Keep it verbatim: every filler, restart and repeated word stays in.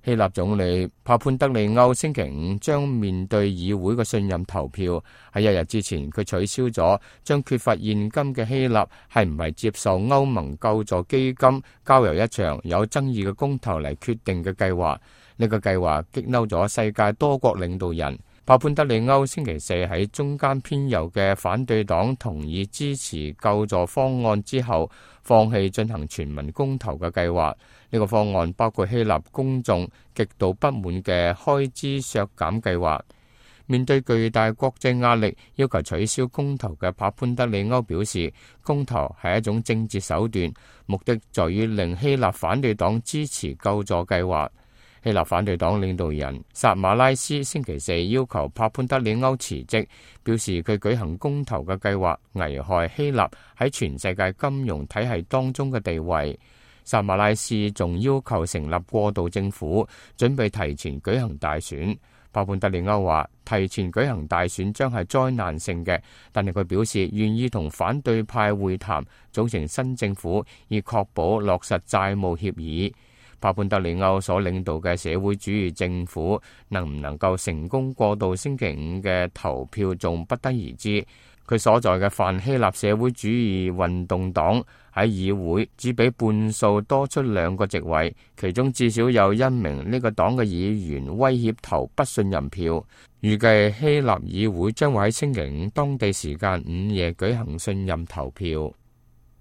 希臘總理帕潘德利歐星期五將面對議會嘅信任投票。喺一日之前，佢取消咗將缺乏現金嘅希臘係唔係接受歐盟救助基金交由一場有爭議嘅公投嚟決定嘅計劃。呢個計劃激嬲咗世界多國領導人。帕潘德利歐星期四喺中間偏右嘅反對黨同意支持救助方案之後，放棄進行全民公投嘅計劃。呢個方案包括希臘公眾極度不滿嘅開支削減計劃。面對巨大國際壓力，要求取消公投嘅帕潘德利歐表示，公投係一種政治手段，目的在於令希臘反對黨支持救助計劃。希臘反對黨領導人薩馬拉斯星期四要求帕潘德利歐辭職，表示佢舉行公投嘅計劃危害希臘喺全世界金融體系當中嘅地位。薩馬拉斯仲要求成立過渡政府，準備提前舉行大選。帕潘德利歐話提前舉行大選將係災難性嘅，但係佢表示願意同反對派會談，組成新政府，以確保落實債務協議。帕潘德利歐所領導嘅社會主義政府能唔能夠成功過渡星期五嘅投票，仲不得而知。佢所在嘅泛希臘社會主義運動黨喺議會只比半數多出兩個席位，其中至少有一名呢個黨嘅議員威脅投不信任票。預計希臘議會將會喺星期五當地時間午夜舉行信任投票。